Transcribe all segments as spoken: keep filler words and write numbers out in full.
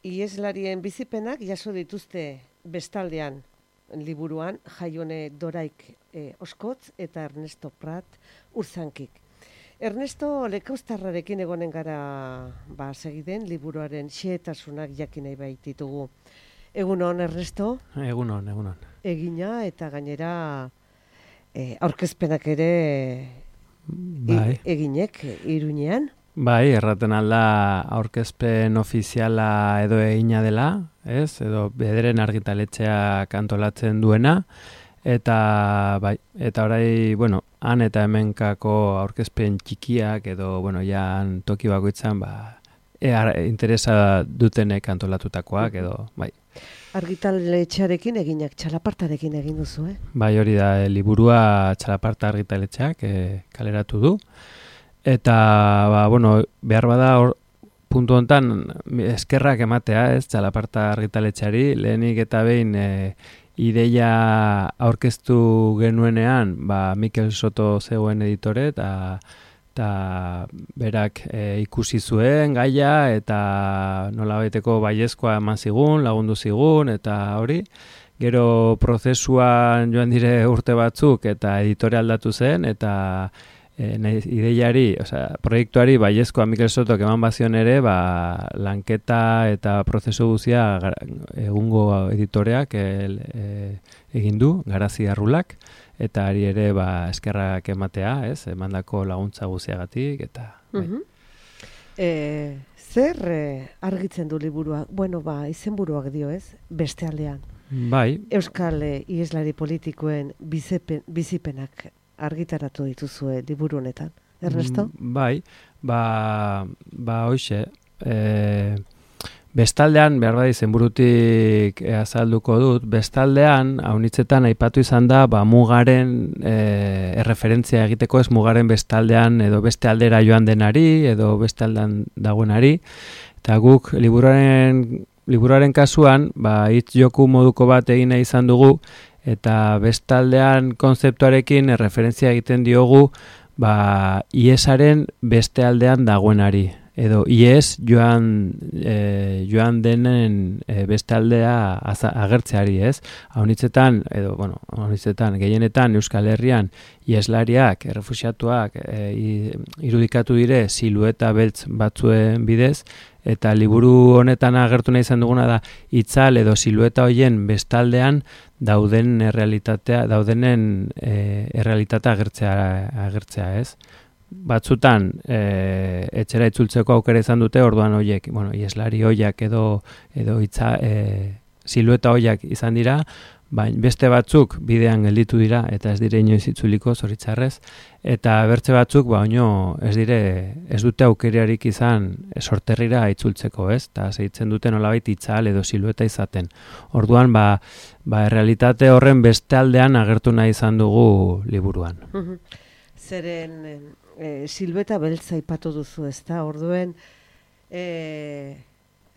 Iheslarien bizipenak jaso dituzte bestaldean liburuan Jaione Doraik e, Oskotz eta Ernesto Prat Urzankik. Ernesto Lekauztarrarekin egonen gara ba, segiden liburuaren xehetasunak jakin nahi baititugu. Egunon, Ernesto? Egunon, egunon. Egina eta gainera e, aurkezpenak ere bai. e, eginek Iruñean. Bai, erraten alda aurkezpen ofiziala edo egina dela, ez? Edo bederen argitaletxeak antolatzen duena, eta bai, eta orai, bueno, han eta hemenkako aurkezpen txikiak edo, bueno, ja toki bakoitzan, ba, e, interesa dutenek antolatutakoak edo, bai. Argitaletxearekin eginak, txalapartarekin egin duzu, eh? Bai, hori da, liburua txalaparta argitaletxeak e, kaleratu du. Eta, ba, bueno, behar bada hor, puntu hontan eskerrak ematea, ez, txalaparta argitaletxeari, lehenik eta behin e, ideia aurkeztu genuenean, ba, Mikel Soto zegoen editore, eta eta berak e, ikusi zuen gaia, eta nolabaiteko baiezkoa eman zigun, lagundu zigun, eta hori, gero prozesuan joan dire urte batzuk, eta editore aldatu zen, eta E, ideiari, osea, proiektuari baiezkoa Mikel Sotok eman bazion ere, ba, lanketa eta prozesu guzia egungo editoreak e, e, egin du, Garazi Arrulak, eta ari ere ba, eskerrak ematea, ez, emandako laguntza guziagatik, eta... Uh -huh. e, zer e, argitzen du liburua? Bueno, ba, izenburuak dio, ez? Beste aldean. Bai. Euskal e, iheslari politikoen bizipen, bizipenak argitaratu dituzue liburu honetan, Ernesto? Bai, ba, ba hoxe, e, bestaldean, behar bai zenburutik e, azalduko dut, bestaldean, haunitzetan aipatu izan da, ba, mugaren e, erreferentzia egiteko ez mugaren bestaldean edo beste aldera joan denari, edo beste aldean dagoenari, eta guk liburuaren, liburuaren kasuan, ba, hitz joku moduko bat egin nahi izan dugu, eta bestaldean konzeptuarekin erreferentzia egiten diogu ba, iesaren beste aldean dagoenari. Edo ies joan, e, joan denen e, beste aldea aza, agertzeari, ez? Haunitzetan, edo, bueno, haunitzetan, gehienetan Euskal Herrian ieslariak, errefuxiatuak e, irudikatu dire silueta beltz batzuen bidez, eta liburu honetan agertu nahi izan duguna da itzal edo silueta hoien bestaldean dauden errealitatea, daudenen e, errealitatea agertzea, agertzea, ez? Batzutan e, etxera itzultzeko aukera izan dute, orduan hoiek, bueno, ieslari hoiak edo edo itza e, silueta hoiak izan dira, baina beste batzuk bidean gelditu dira eta ez dire inoiz itzuliko zoritzarrez, eta bertze batzuk ba oino ez dire ez dute aukerarik izan sorterrira itzultzeko, ez? Ta segitzen dute nolabait itzal edo silueta izaten. Orduan ba ba errealitate horren beste aldean agertu nahi izan dugu liburuan. Zeren e, silueta beltza aipatu duzu, ezta? Orduen eh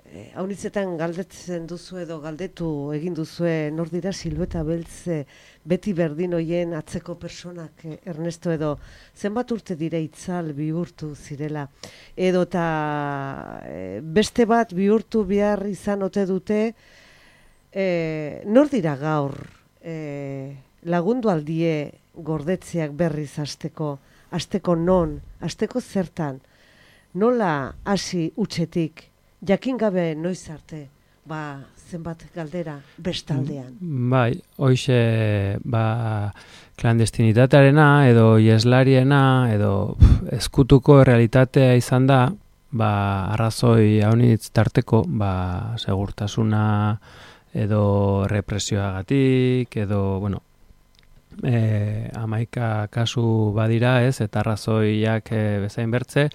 E, haunitzetan galdetzen duzu edo galdetu egin duzue nor dira silueta beltze beti berdin hoien atzeko personak, e, Ernesto, edo zenbat urte dire itzal bihurtu zirela edo eta e, beste bat bihurtu behar izan ote dute, e, nor dira gaur e, lagundu aldie gordetzeak berriz hasteko, hasteko non, hasteko zertan, nola hasi utzetik, jakin gabe noiz arte, ba, zenbat galdera bestaldean. Bai, hoize, ba, klandestinitatearena edo ieslariena edo pf, ezkutuko realitatea izan da, ba, arrazoi haunitz tarteko, ba, segurtasuna edo represioagatik edo, bueno, E, amaika kasu badira, ez, eta arrazoiak e, bezain bertze,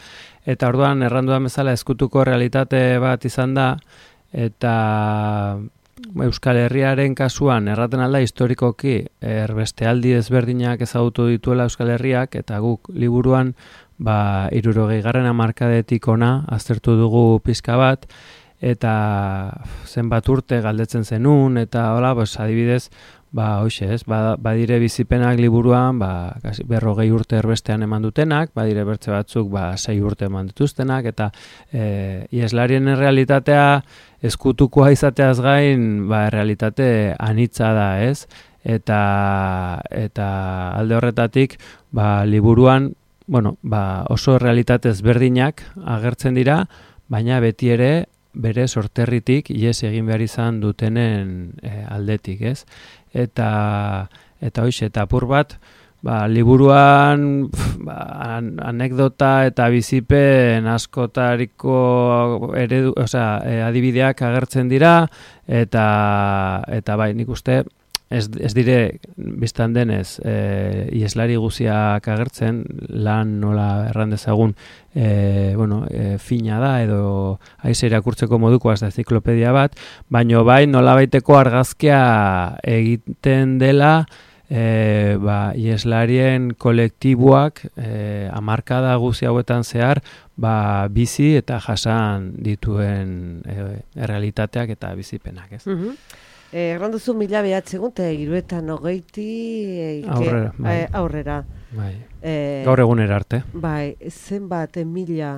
eta orduan erranduan bezala ezkutuko realitate bat izan da, eta Euskal Herriaren kasuan erraten alda historikoki erbestealdi ezberdinak ezagutu dituela Euskal Herriak, eta guk liburuan ba, hirurogeigarren hamarkadetik ona aztertu dugu pizka bat, eta zenbat urte galdetzen zenun, eta hola, pues, adibidez, ba, hoxe ez, ba, badire bizipenak liburuan, ba, berrogei urte erbestean eman dutenak, badire bertze batzuk, ba, sei urte eman dituztenak, eta e, ieslarien realitatea eskutukoa izateaz gain, ba, realitate anitza da, ez? Eta, eta alde horretatik, ba, liburuan, bueno, ba, oso realitate ezberdinak agertzen dira, baina beti ere, bere sorterritik ihes egin behar izan dutenen e, aldetik, ez? Eta eta hoize, eta apur bat, ba, liburuan pf, ba, an, anekdota eta bizipen askotariko eredu, osea, e, adibideak agertzen dira, eta eta bai, nik uste Ez, ez dire, biztan denez, e, ieslari guziak agertzen, lan nola erran dezagun, e, bueno, e, fina da, edo aize irakurtzeko moduko az da ziklopedia bat, baino bai nola baiteko argazkia egiten dela, e, ba, ieslarien kolektiboak e, hamarkada guzi hauetan zehar, ba, bizi eta jasan dituen e, errealitateak eta bizipenak, ez? Mhm. Erran duzu mila behatzegun, eta hiruetan hogeiti aurrera. Bai. Eh, aurrera. Bai. Eh, Gaur egunera arte. Bai, zenbat mila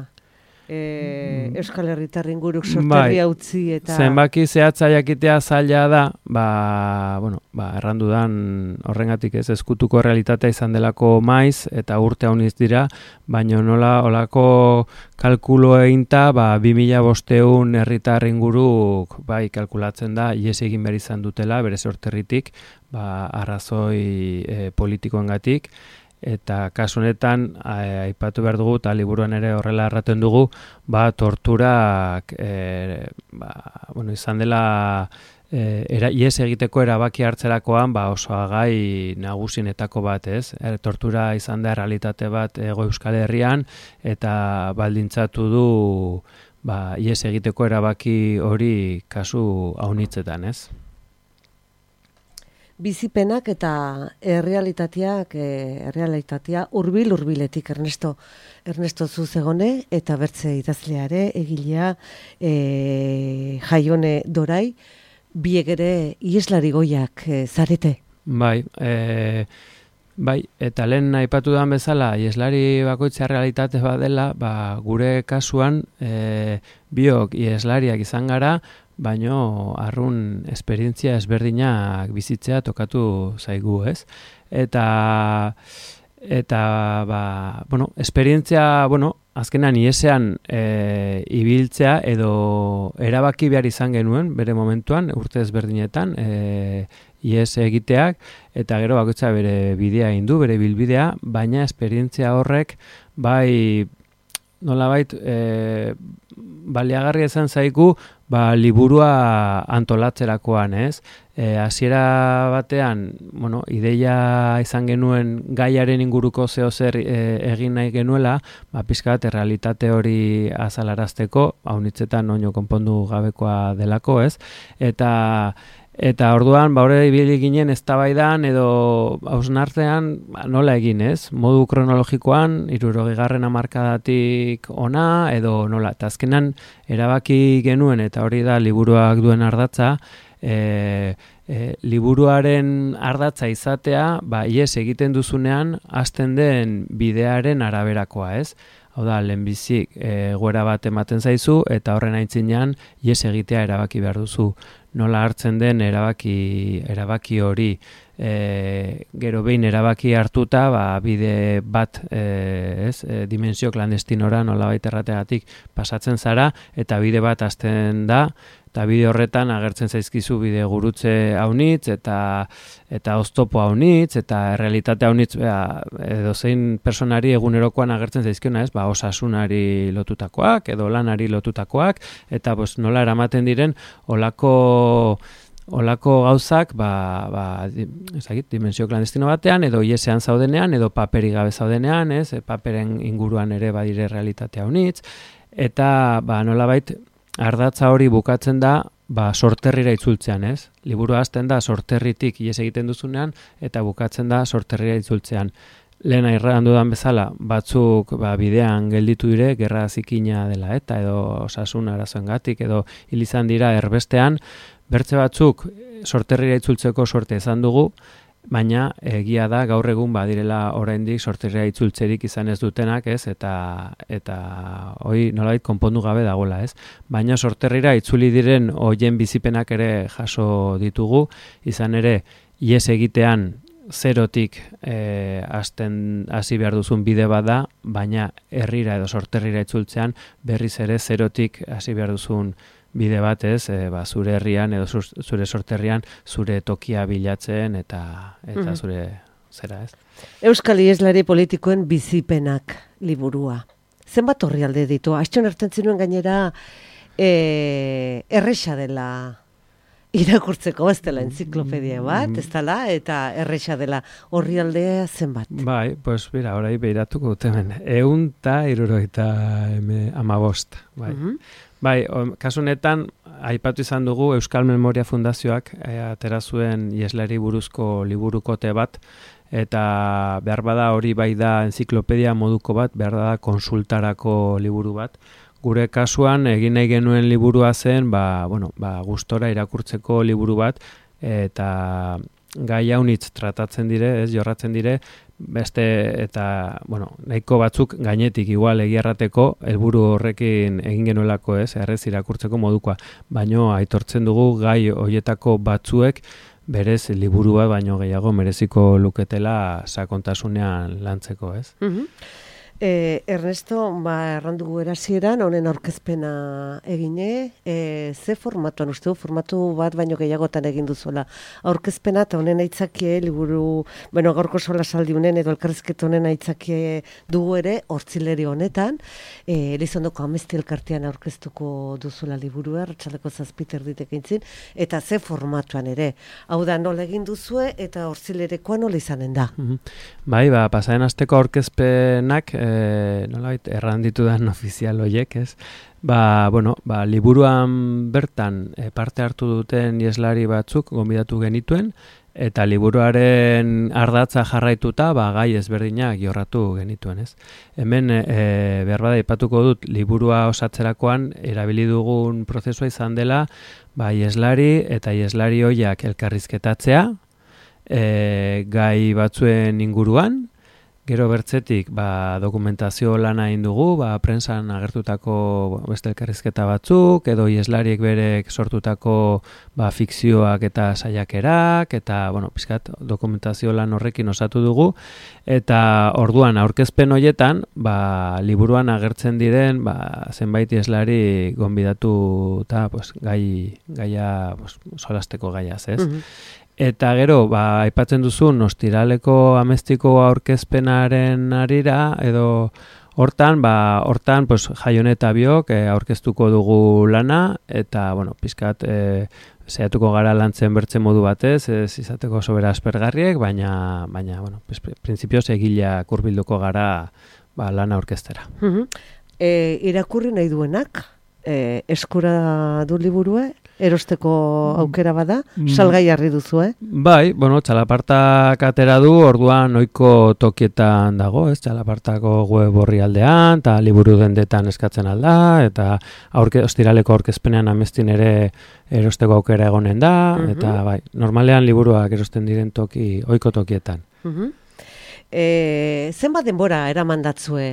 eh, Mm. Euskal Herritar inguruk sorterria Bai. utzi eta... Zenbaki zehatza jakitea zaila da, ba, bueno, ba, errandudan horrengatik ez eskutuko realitatea izan delako maiz, eta urte hauniz dira, baino nola olako kalkulo eginta, ba, bi mila bosteun herritar inguruk bai kalkulatzen da, ihes egin behar izan dutela, bere sorterritik, ba, arrazoi e, politikoengatik, eta kasu honetan aipatu behar dugu, eta liburuan ere horrela erraten dugu, ba, torturak e, ba, bueno, izan dela e, era, ihes egiteko erabaki hartzerakoan ba, oso gai nagusinetako bat, ez? E, tortura izan da errealitate bat Hego Euskal Herrian, eta baldintzatu du ba, ihes egiteko erabaki hori kasu haunitzetan, ez? Bizipenak eta errealitateak, errealitatea hurbil hurbiletik Ernesto Ernesto Zuzegone eta bertze idazleare egilea e, Jaione Dorai, biek ere ieslari goiak e, zarete. Bai, e, bai, eta lehen aipatu dan bezala, ieslari bakoitza realitate badela, ba, gure kasuan e, biok ieslariak izan gara, baino arrun esperientzia ezberdinak bizitzea tokatu zaigu, ez? Eta eta ba, bueno, esperientzia, bueno, azkenan iesean e, ibiltzea edo erabaki behar izan genuen bere momentuan, urte ezberdinetan, e, ies egiteak, eta gero bakoitza bere bidea egin du, bere bilbidea, baina esperientzia horrek bai nolabait e, baliagarria izan zaigu ba, liburua antolatzerakoan, ez? E, hasiera batean, bueno, ideia izan genuen gaiaren inguruko zeo zer e, egin nahi genuela, ba, pixka bat errealitate hori azalarazteko, haunitzetan oino konpondu gabekoa delako, ez? Eta Eta orduan, ba, hori ibili ginen eztabaidan edo hausnartzean ba, nola egin, ez? Modu kronologikoan, hirurogeigarren hamarkadatik ona, edo nola. Eta azkenan erabaki genuen, eta hori da liburuak duen ardatza, e, e, liburuaren ardatza izatea, ba, ies egiten duzunean, hasten den bidearen araberakoa, ez? Hau da, lehenbizik e, goera bat ematen zaizu, eta horren aitzinean, ies egitea erabaki behar duzu. Nola hartzen den erabaki erabaki hori e, gero behin erabaki hartuta ba, bide bat e, ez e, dimensio klandestinora nolabait errategatik pasatzen zara eta bide bat hasten da eta bide horretan agertzen zaizkizu bide gurutze haunitz eta eta oztopo haunitz eta errealitate haunitz edo zein personari egunerokoan agertzen zaizkiona, ez? Ba, osasunari lotutakoak edo lanari lotutakoak eta pues, nola eramaten diren olako olako gauzak ba, ba, ezagit, dimensio klandestino batean edo iesean zaudenean edo paperi gabe zaudenean, ez? E, paperen inguruan ere badire realitatea haunitz eta ba, nolabait ardatza hori bukatzen da ba, sorterrira itzultzean, ez? Liburu hasten da sorterritik ies egiten duzunean eta bukatzen da sorterrira itzultzean. Lehen airran dudan bezala, batzuk ba, bidean gelditu dire, gerra zikina dela eta edo osasun arazoengatik edo hil izan dira erbestean, bertze batzuk sorterrira itzultzeko sorte izan dugu, baina egia da gaur egun badirela oraindik sorterrira itzultzerik izan ez dutenak, ez? Eta eta hoi nolabait konpondu gabe dagoela, ez? Baina sorterrira itzuli diren hoien bizipenak ere jaso ditugu, izan ere ihes egitean zerotik eh, hasten hasi behar duzun bide bada, baina herrira edo sorterrira itzultzean berriz ere zerotik hasi behar duzun bide bat, ez, e, ba, zure herrian edo zure sorterrian zure tokia bilatzen eta eta mm-hmm. zure zera, ez? Euskal Iheslari politikoen bizipenak liburua. Zenbat orrialde ditu? Astxon hartzen zinuen gainera e, erresa dela irakurtzeko, ez dela entziklopedia bat, ez dela, eta erresa dela orrialdea zenbat. Bai, pues bera, orai behiratuko dut hemen. Eun eta irurogeita hamabost, bai. Mm-hmm. Bai, kasu honetan aipatu izan dugu Euskal Memoria Fundazioak e, atera zuen Iheslari buruzko liburukote bat, eta behar bada hori bai da entziklopedia moduko bat, behar da konsultarako liburu bat. Gure kasuan egin nahi genuen liburua zen, ba, bueno, ba, gustora irakurtzeko liburu bat, eta gai haunitz tratatzen dire, ez jorratzen dire, beste eta, bueno, nahiko batzuk gainetik igual egiarrateko helburu horrekin egin genuelako, ez, errez irakurtzeko modukoa. Baino aitortzen dugu gai hoietako batzuek berez liburu bat baino gehiago mereziko luketela sakontasunean lantzeko, ez? Mm-hmm. Eh, Ernesto, ba, errandugu erasieran, honen aurkezpena egine, e, ze formatuan, uste du, formatu bat baino gehiagotan egin duzuela. Aurkezpena eta honen aitzakie, liburu, bueno, gaurko sola saldi honen edo elkarrizketa honen aitzakie dugu ere, hortzileri honetan, e, Elizondoko Amesti elkartean aurkeztuko duzuela liburua, Arratsaldeko zazpiter ditekintzin, eta ze formatuan ere. Hau da, nola egin duzue, eta hortzilerekoa nola izanen da. Mm-hmm. Bai, ba, pasaren asteko aurkezpenak, e, nolabait erranditu dan ofizial hoiek, ez? Ba, bueno, ba, liburuan bertan e, parte hartu duten iheslari batzuk gonbidatu genituen, eta liburuaren ardatza jarraituta, ba, gai ezberdinak jorratu genituen, ez? Hemen, e, behar bada aipatuko dut, liburua osatzerakoan erabili dugun prozesua izan dela, ba, iheslari eta iheslari hoiak elkarrizketatzea, e, gai batzuen inguruan, gero bertzetik ba, dokumentazio lana egin dugu, ba, prensan agertutako beste elkarrizketa batzuk, edo iheslariek berek sortutako ba, fikzioak eta saiakerak, eta bueno, pizkat dokumentazio lan horrekin osatu dugu, eta orduan aurkezpen hoietan, ba, liburuan agertzen diren ba, zenbait iheslari gonbidatu eta pues, gai, gaia, pues, solasteko gaiaz, ez? Mm-hmm. Eta gero, ba, aipatzen duzun, ostiraleko amestiko aurkezpenaren arira, edo hortan, ba, hortan, pues, Jaione eta biok e, aurkeztuko dugu lana, eta, bueno, pizkat, e, zehatuko gara lantzen bertzen modu batez, ez izateko sobera aspergarriek, baina, baina, bueno, pues, printzipioz egileak hurbilduko gara ba, lana aurkeztera. Mm-hmm. E, irakurri nahi duenak, e, eskura du liburue? Erosteko aukera bada, salgai harri duzu, eh? Bai, bueno, txalapartak atera du, orduan ohiko tokietan dago, ez? Txalapartako web orrialdean, eta liburu dendetan eskatzen alda, eta aurke, ostiraleko aurkezpenean amestin ere erosteko aukera egonen da, uh-huh. Eta bai, normalean liburuak erosten diren toki, ohiko tokietan. Uh-huh. E, zenbat denbora eramandatzue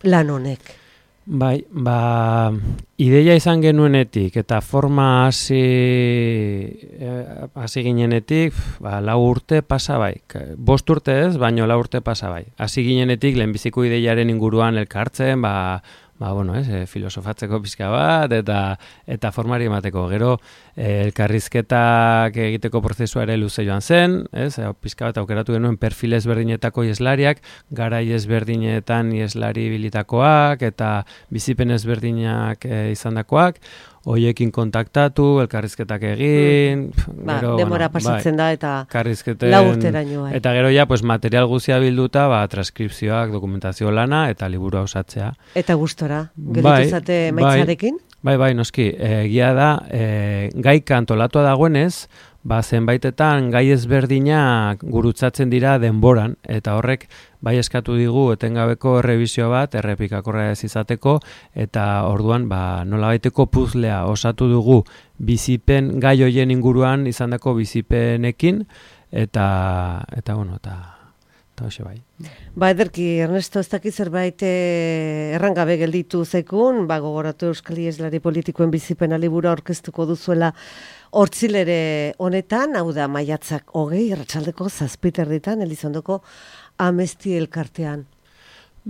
lan honek? Bai, ba, ideia izan genuenetik eta forma hasi eh, hasi ginenetik, ba, lau urte pasa bai. Bost urte ez, baino lau urte pasa bai. Hasi ginenetik lehenbiziko ideiaren inguruan elkartzen, ba, ba bueno, ez, e, filosofatzeko pizka bat eta eta formari emateko. Gero e, elkarrizketak egiteko prozesua ere luze joan zen, ez? E, pizka bat aukeratu genuen perfil ezberdinetako ieslariak, garai ezberdinetan ieslari bilitakoak eta bizipen ezberdinak e, izandakoak. Hoiekin kontaktatu, elkarrizketak egin, mm. ba, gero, demora bueno, pasatzen bai, da eta lau urteraino. Eta gero ja, pues, material guztia bilduta, ba, transkripzioak, dokumentazio lana eta liburua osatzea. Eta gustora, geritu zate maitzarekin? Bai, bai, noski, egia da, e, gaika antolatua dagoenez, ba, zenbaitetan gai ezberdinak gurutzatzen dira denboran, eta horrek bai eskatu digu etengabeko errebizio bat, errepikakorra ez izateko, eta orduan ba, nolabaiteko puzlea osatu dugu bizipen gai hoien inguruan izandako bizipenekin, eta, eta bueno, eta, eta hoxe bai. Ba, ederki, Ernesto, ez dakit zerbait eh, errangabe gelditu zekun, ba, gogoratu Euskal Iheslari politikoen bizipena libura aurkeztuko duzuela hortzilere honetan, hau da maiatzak hogei, arratsaldeko zazpiterritan, Elizondoko Amesti elkartean.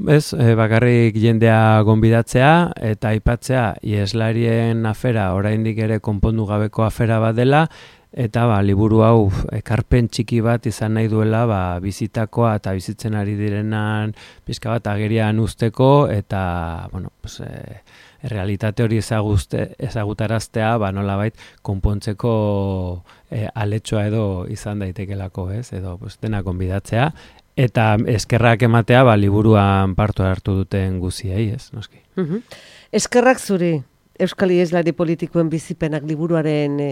Ez, e, bakarrik jendea gonbidatzea eta aipatzea iheslarien afera oraindik ere konpondu gabeko afera bat dela, eta ba, liburu hau ekarpen txiki bat izan nahi duela ba, bizitakoa eta bizitzen ari direnan pizka bat agerian usteko, eta bueno, pues, e, realitate hori ezaguzte, ezagutaraztea ba, nolabait konpontzeko e, aletxoa edo izan daitekelako, ez? Edo pues, dena gonbidatzea. Eta eskerrak ematea, ba, liburuan partu hartu duten guziei, ez, noski. Uh-huh. Eskerrak zuri, Euskal Iheslari politikoen bizipenak liburuaren e,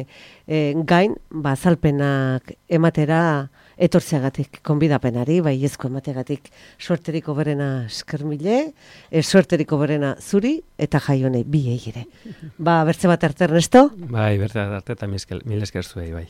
e, gain, ba, azalpenak ematera etortzeagatik, konbidapenari, bai ezko emategatik suerteriko berena eskermile, e, suerteriko berena zuri, eta jaionei biei ere. Ba, bertze bat arte, Ernesto? Bai, bertze bat arte, eta mil esker zuei, bai.